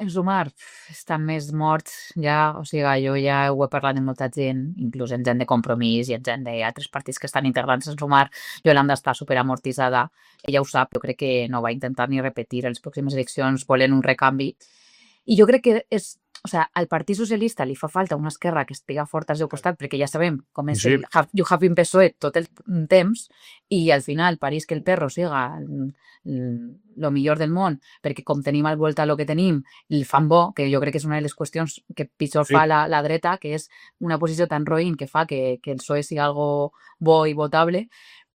en Sumar està més mort ja, o sigui, jo ja ho he parlat amb molta gent, inclús en gent de Compromís i en gent d'altres partits que estan integrants en Sumar. Yolanda està superamortitzada, ella ho sap, jo crec que no va intentar ni repetir les pròximes eleccions, volen un recanvi. I jo crec que és, o sigui, al Partit Socialista li fa falta una esquerra que estiga forta al seu costat, perquè ja sabem com és el You Have Been PSOE tot el temps, i al final París que el perro siga el millor del món, perquè com tenim al voltant el que tenim, el fan bo, que jo crec que és una de les qüestions que pitjor fa la dreta, que és una posició tan roïn que fa que el PSOE sigui algo bo i votable,